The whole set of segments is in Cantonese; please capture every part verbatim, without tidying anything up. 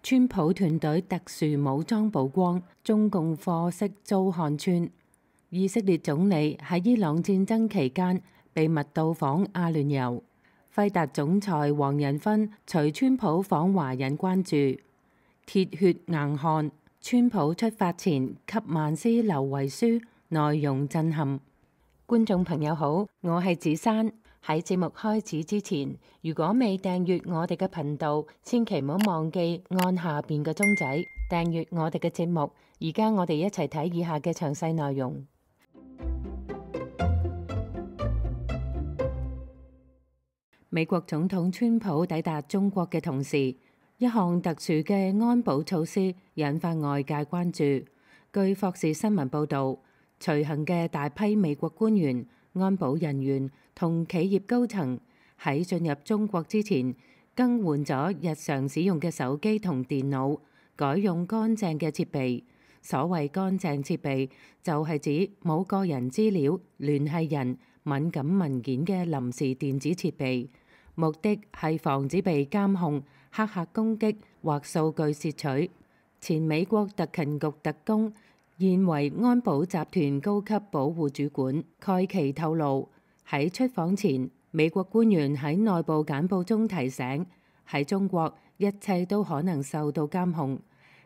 川普團隊特殊武裝曝光，中共貨色遭看穿。以色列總理喺伊朗戰爭期間秘密到訪阿聯酋。輝達總裁黃仁勳隨川普訪華引關注。鐵血硬漢，川普出發前給曼斯留遺書，內容震撼。觀眾朋友好，我係子珊。喺節目開始之前，如果未訂閱我哋嘅頻道，千祈唔好忘記按下邊嘅鐘仔訂閱我哋嘅節目。而家我哋一齊睇以下嘅詳細內容。美國總統川普抵達中國嘅同時，一項特殊嘅安保措施引發外界關注。據霍士新聞報導，隨行嘅大批美國官員、安保人員同企業高層喺進入中國之前，更換咗日常使用嘅手機同電腦，改用乾淨嘅設備。所謂乾淨設備，就係指冇個人資料、聯繫人、敏感文件嘅臨時電子設備，目的係防止被監控、黑客攻擊或數據竊取。前美國特勤局特工，現為安保集團高級保護主管蓋奇透露，喺出訪前，美國官員喺內部簡報中提醒，喺中國一切都可能受到監控。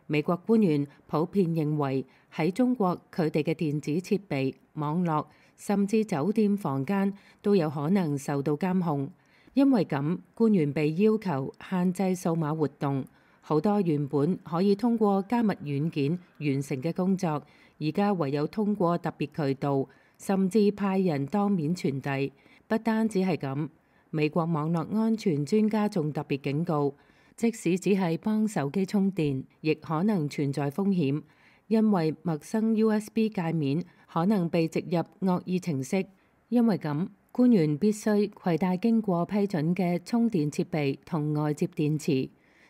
美國官員普遍認為，喺中國佢哋嘅電子設備、網絡甚至酒店房間都有可能受到監控。因為咁，官員被要求限制數碼活動。好多原本可以通過加密軟件完成嘅工作，而家唯有通過特別渠道，甚至派人當面傳遞。不單止係咁，美國網絡安全專家仲特別警告，即使只係幫手機充電，亦可能存在風險，因為陌生 U S B 界面可能被植入惡意程式。因為咁，官員必須攜帶經過批准嘅充電設備同外接電池。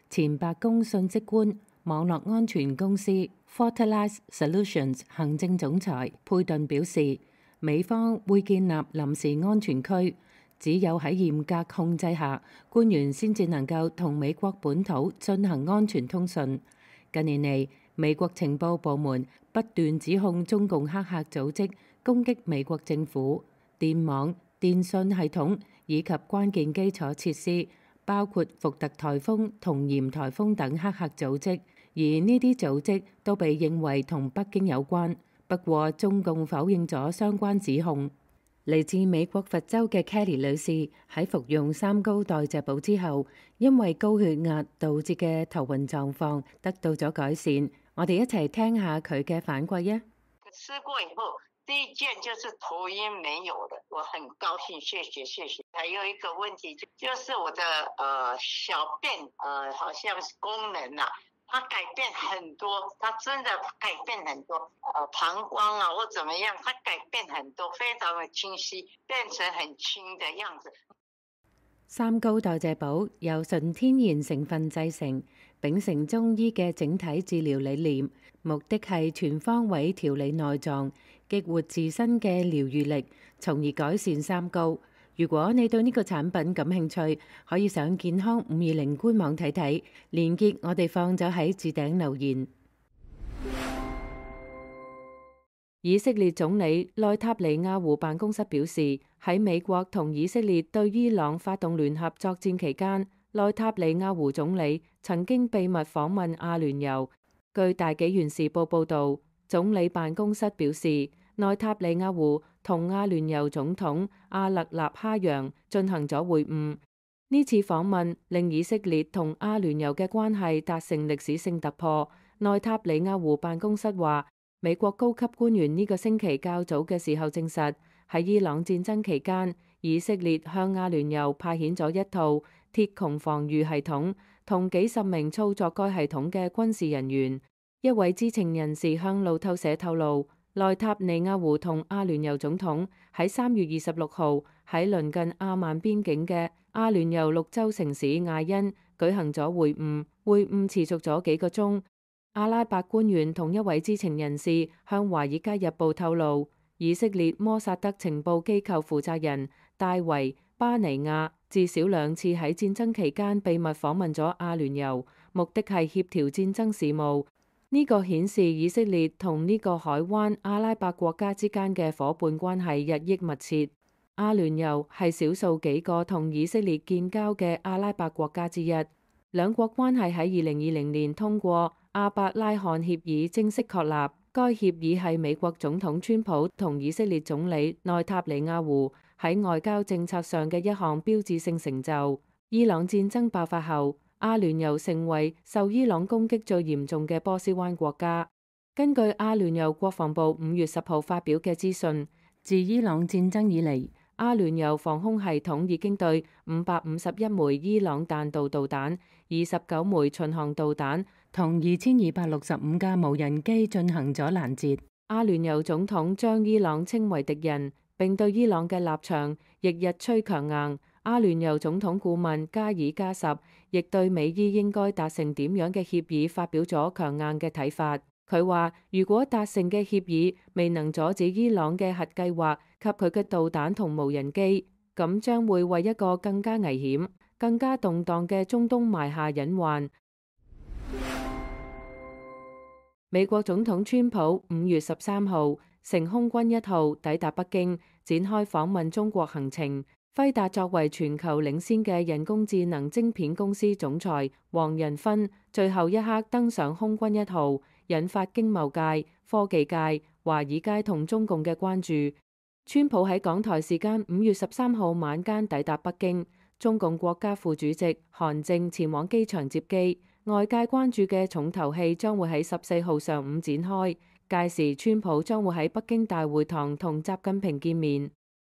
前白宮信息官、網絡安全公司 Fortalice Solutions 行政總裁佩頓表示，美方會建立臨時安全區，只有喺嚴格控制下，官員先至能夠同美國本土進行安全通訊。近年嚟，美國情報部門不斷指控中共黑客組織攻擊美國政府、電網、電信系統以及關鍵基礎設施，包括伏特颱風同嚴颱風等黑客組織，而呢啲組織都被認為同北京有關。不過，中共否認咗相關指控。嚟自美國佛州嘅 Kelly 女士喺服用三高代謝寶之後，因為高血壓導致嘅頭暈狀況得到咗改善。我哋一齊聽下佢嘅反饋啊！吃過以後，第一件就是頭暈沒有了，我很高興，謝謝謝謝。還有一個問題就是我的呃小便呃好像是功能啊，它改變很多，它真的改變很多，呃膀胱啊或怎麼樣，它改變很多，非常的清晰，變成很輕的樣子。三高代謝寶由純天然成分製成，秉承中醫嘅整體治療理念，目的係全方位調理內臟，激活自身嘅療愈力，從而改善三高。如果你對呢個產品感興趣，可以上健康五二零官網睇睇，連結我哋放咗喺置頂留言。以色列總理內塔尼亞胡辦公室表示，喺美國同以色列對伊朗發動聯合作戰期間，內塔尼亞胡總理曾經秘密訪問阿聯酋。據大紀元時報報導，總理辦公室表示，內塔尼亞胡同阿聯酋總統阿勒納哈揚進行咗會晤。呢次訪問令以色列同阿聯酋嘅關係達成歷史性突破。內塔尼亞胡辦公室話，美國高級官員呢個星期較早嘅時候證實，喺伊朗戰爭期間，以色列向阿聯酋派遣咗一套鐵穹防禦系統同幾十名操作該系統嘅軍事人員。一位知情人士向路透社透露，內塔尼亞胡同阿聯酋總統喺三月二十六號喺鄰近阿曼邊境嘅阿聯酋綠洲城市艾因舉行咗會晤，會晤持續咗幾個鐘。阿拉伯官員同一位知情人士向《華爾街日報》透露，以色列摩薩德情報機構負責人戴維巴尼亞至少兩次喺戰爭期間秘密訪問咗阿聯酋，目的係協調戰爭事務。呢個顯示以色列同呢個海灣阿拉伯國家之間嘅伙伴關係日益密切。阿聯酋係少數幾個同以色列建交嘅阿拉伯國家之一。兩國關係喺二零二零年通過阿伯拉罕協議正式確立。該協議係美國總統川普同以色列總理內塔尼亞胡喺外交政策上嘅一項標誌性成就。伊朗戰爭爆發後，阿聯酋成為受伊朗攻擊最嚴重嘅波斯灣國家。根據阿聯酋國防部五月十號發表嘅資訊，自伊朗戰爭以嚟，阿聯酋防空系統已經對五百五十一枚伊朗彈道導彈、二十九枚巡航導彈同二千二百六十五架無人機進行咗攔截。阿聯酋總統將伊朗稱為敵人，並對伊朗嘅立場亦日趨強硬。阿聯酋總統顧問加爾加什亦對美伊應該達成點樣嘅協議發表咗強硬嘅睇法。佢話：如果達成嘅協議未能阻止伊朗嘅核計劃及佢嘅導彈同無人機，咁將會為一個更加危險、更加動盪嘅中東埋下隱患。美國總統川普五月十三號乘空軍一號抵達北京，展開訪問中國行程。輝達作為全球領先嘅人工智能晶片公司總裁黃仁勳最後一刻登上空軍一號，引發經貿界、科技界、華爾街同中共嘅關注。川普喺港台時間五月十三號晚間抵達北京，中共國家副主席韓正前往機場接機。外界關注嘅重頭戲將會喺十四號上午展開，屆時川普將會喺北京大會堂同習近平見面。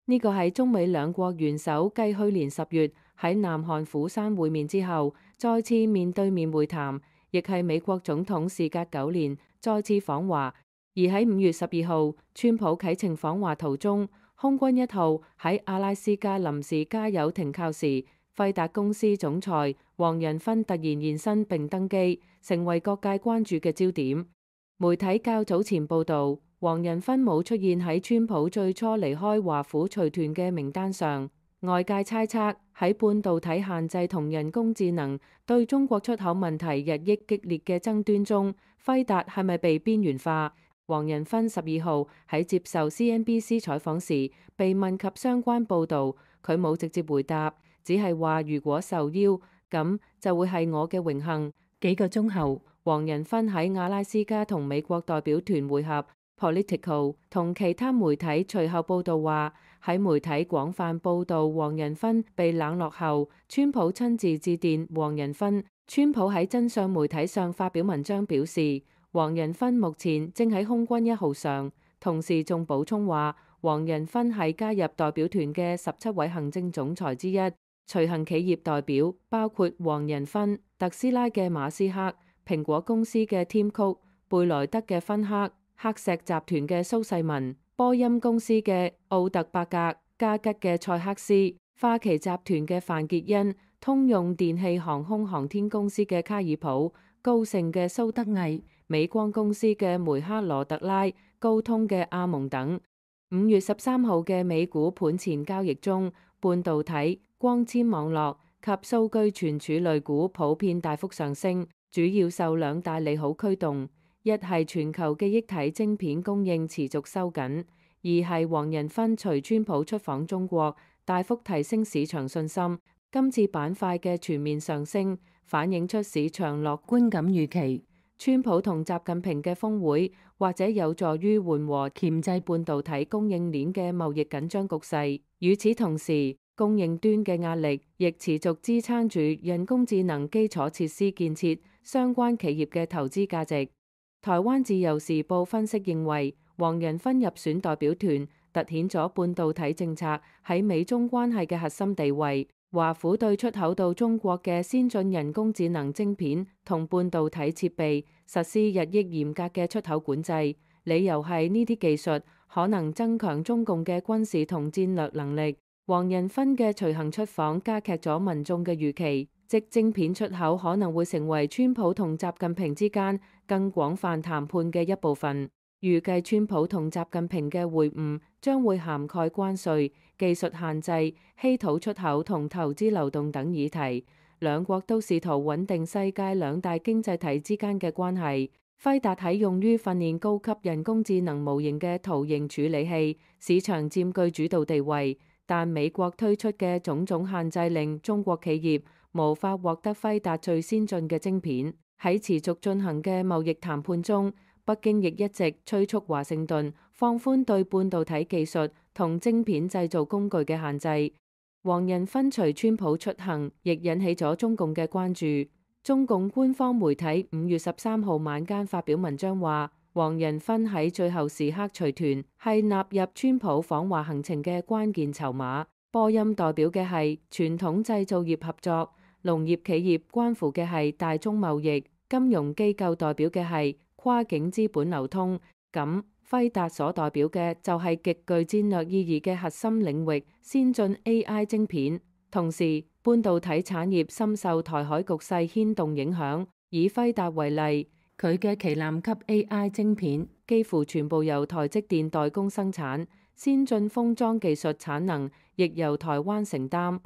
呢個係中美兩國元首繼去年十月喺南韓釜山會面之後，再次面對面會談，亦係美國總統事隔九年再次訪華。而喺五月十二號，川普啟程訪華途中，空軍一號喺阿拉斯加臨時加油停靠時，輝達公司總裁黃仁勳突然現身並登機，成為各界關注嘅焦點。媒體較早前報導，黃仁勳冇出現喺川普最初離開華府隨團嘅名單上。外界猜測喺半導體限制同人工智能對中國出口問題日益激烈嘅爭端中，輝達係咪被邊緣化？黃仁勳十二號喺接受 C N B C 採訪時，被問及相關報導，佢冇直接回答。只係話如果受邀，咁就會係我嘅榮幸。幾個鐘後，黃仁勳喺阿拉斯加同美國代表團會合。Political 同其他媒體隨後報導話，喺媒體廣泛報導黃仁勳被冷落後，川普親自致電黃仁勳。川普喺真相媒體上發表文章表示，黃仁勳目前正喺空軍一號上，同時仲補充話，黃仁勳係加入代表團嘅十七位行政總裁之一。隨行企業代表包括黃仁勳、特斯拉嘅馬斯克、蘋果公司嘅添曲、貝萊德嘅芬克、黑石集團嘅蘇世民、波音公司嘅奧特伯格、加吉嘅塞克斯、花旗集團嘅范傑恩、通用電氣航空航天公司嘅卡爾普、高盛嘅蘇德毅、美光公司嘅梅克羅特拉、高通嘅阿蒙等。五月十三號嘅美股盤前交易中，半導體、光纖網絡及數據存儲類股普遍大幅上升，主要受兩大利好驅動。一係全球記憶體晶片供應持續收緊，二係黃仁勳隨川普出訪中國，大幅提升市場信心。今次板塊嘅全面上升，反映出市場樂觀感預期。川普同習近平嘅峰會或者有助於緩和鉗制半導體供應鏈嘅貿易緊張局勢。與此同時，供應端嘅壓力亦持續支撐住人工智能基礎設施建設相關企業嘅投資價值。台灣自由時報分析認為，黃仁勳入選代表團，凸顯咗半導體政策喺美中關係嘅核心地位。華府對出口到中國嘅先進人工智能晶片同半導體設備實施日益嚴格嘅出口管制，理由係呢啲技術可能增強中共嘅軍事同戰略能力。黃仁勳嘅隨行出訪加劇咗民眾嘅預期，即晶片出口可能會成為川普同習近平之間更廣泛談判嘅一部分。預計川普同習近平嘅會晤將會涵蓋關稅、技術限制、稀土出口同投資流動等議題。兩國都試圖穩定世界兩大經濟體之間嘅關係。輝達喺用於訓練高級人工智能模型嘅圖形處理器市場佔據主導地位，但美國推出嘅種種限制令中國企業無法獲得輝達最先進嘅晶片。喺持續進行嘅貿易談判中，北京亦一直催促華盛頓放寬對半導體技術同晶片製造工具嘅限制。黃仁勳隨川普出行，亦引起咗中共嘅關注。中共官方媒體五月十三號晚間發表文章話，黃仁勳喺最後時刻隨團，係納入川普訪華行程嘅關鍵籌碼。波音代表嘅係傳統製造業合作，農業企業關乎嘅係大宗貿易，金融機構代表嘅係跨境資本流通。咁輝達所代表嘅就係極具戰略意義嘅核心領域先進 A I 晶片。同時，半導體產業深受台海局勢牽動影響。以輝達為例，佢嘅旗艦級 A I 晶片幾乎全部由台積電代工生產，先進封裝技術產能亦由台灣承擔。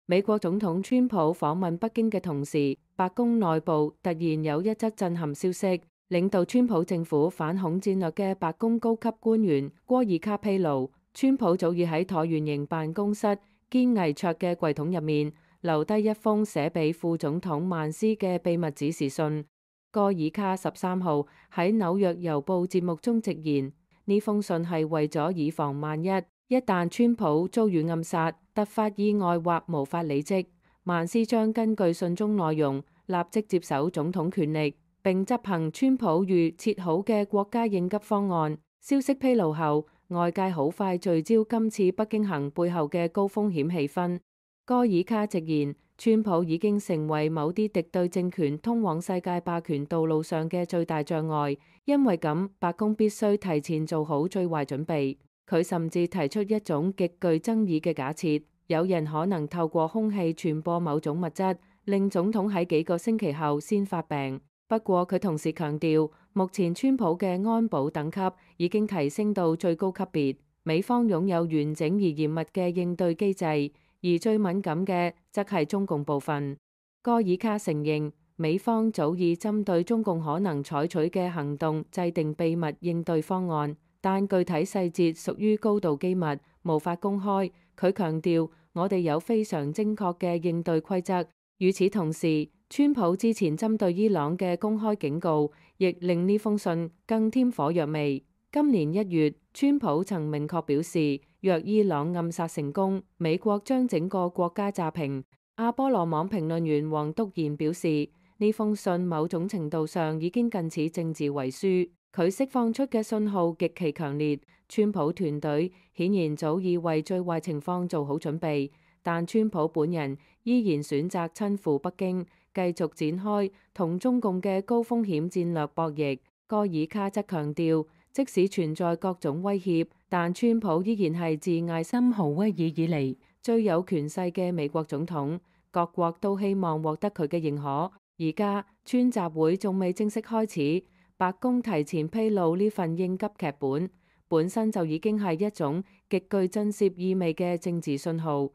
美國總統川普訪問北京嘅同時，白宮內部突然有一則震撼消息，領導川普政府反恐戰略嘅白宮高級官員戈爾卡披露，川普早已喺橢圓形辦公室堅毅卓嘅櫃桶入面留低一封寫俾副總統曼斯嘅秘密指示信。戈爾卡十三號喺紐約郵報節目中直言，呢封信係為咗以防萬一，一旦川普遭遇暗殺、突發意外或無法履職，曼斯將根據信中內容立即接手總統權力，並執行川普預設好嘅國家應急方案。消息披露後，外界好快聚焦今次北京行背後嘅高風險氣氛。戈爾卡直言，川普已經成為某啲敵對政權通往世界霸權道路上嘅最大障礙，因為咁，白宮必須提前做好最壞準備。佢甚至提出一種極具爭議嘅假設，有人可能透過空氣傳播某種物質，令總統喺幾個星期後先發病。不過佢同時強調，目前川普嘅安保等級已經提升到最高級別，美方擁有完整而嚴密嘅應對機制，而最敏感嘅則係中共部分。戈爾卡承認，美方早已針對中共可能採取嘅行動制定秘密應對方案，但具體細節屬於高度機密，無法公開。佢強調，我哋有非常精確嘅應對規則。與此同時，川普之前針對伊朗嘅公開警告，亦令呢封信更添火藥味。今年一月，川普曾明確表示，若伊朗暗殺成功，美國將整個國家炸平。阿波羅網評論員黃篤賢表示，呢封信某種程度上已經近似政治遺書，佢釋放出嘅信號極其強烈。川普團隊顯然早已為最壞情況做好準備，但川普本人依然選擇親赴北京，繼續展開同中共嘅高風險戰略博弈。戈爾卡則強調，即使存在各種威脅，但川普依然係自艾森豪威爾以嚟最有權勢嘅美國總統，各國都希望獲得佢嘅認可。而家川習會仲未正式開始，白宮提前披露呢份應急劇本，本身就已經係一種極具震懾意味嘅政治信號。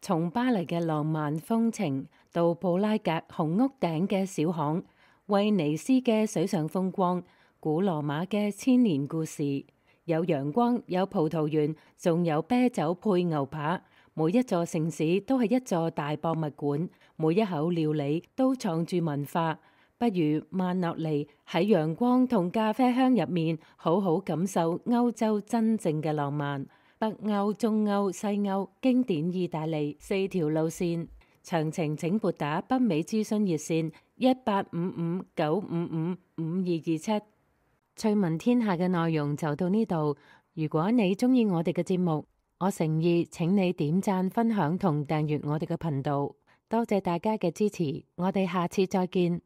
從巴黎嘅浪漫風情到布拉格紅屋頂嘅小巷，威尼斯嘅水上風光，古羅馬嘅千年故事，有陽光，有葡萄園，仲有啤酒配牛扒。每一座城市都係一座大博物館，每一口料理都藏住文化。不如慢落嚟喺陽光同咖啡香入面，好好感受歐洲真正嘅浪漫。北歐、中歐、西歐，經典意大利四條路線，詳情請撥打北美諮詢熱線一八五五九五五五二二七。趣聞天下嘅內容就到呢度。如果你鍾意我哋嘅節目，我誠意請你點讚、分享同訂閱我哋嘅頻道。多謝大家嘅支持，我哋下次再見。